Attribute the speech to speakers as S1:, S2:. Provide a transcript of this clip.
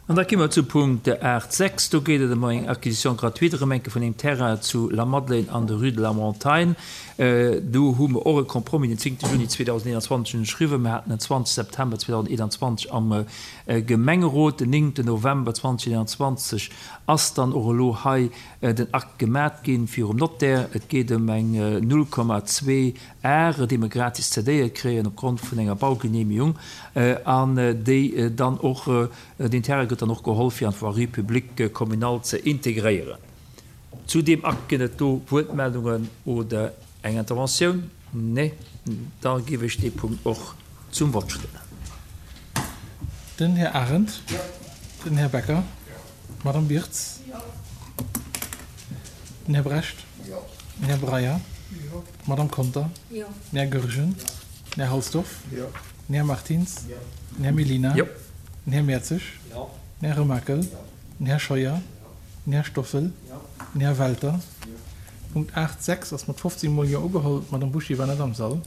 S1: An da gi mer zu Punkt 8, 6. Do geet et ëm eng Acquisition gratuite erëm eng Kéier vun engem Terrain zu Lamadelaine an der Rue de la Montagne. Do hu mer och e Compromis den 10 Juni 2021 ënnerschriwwen. Mer haten en 20 September 2021 am Gemengerot. Den 9 November 2021 ass dann och elo hei den Akt gemat ginn virum Notaire. Et geet ëm eng 0,2 Are, déi mer gratis cedéiert kréien opgrond vun enger Baugenehmigung an déi dann och, deen Terrain gëtt dann och geholl fir an d'Voirie publique communale ze integréieren. Zu deem Akt ginn et do Wuertmeldungen oder eng Interventioun? Nee? Da géif ech dee Punkt och zum Vott stellen.
S2: Den Här Arendt. Den Här Becker. D'Madame Birtz. Den Här Brecht. Den Här Breyer. D'Madame Conter. Den Här Goergen. Den Här Halsdorf. Den Här Martins. Den Här Mellina. Den Här Mertzig. Den Här Remakel. Den Här Scheuer. Den Här Stoffel. Den Här Welter. Punkt 8, 6 ass mat 15 mol Jo ugeholl. D'Madame Buchy war net am Sall.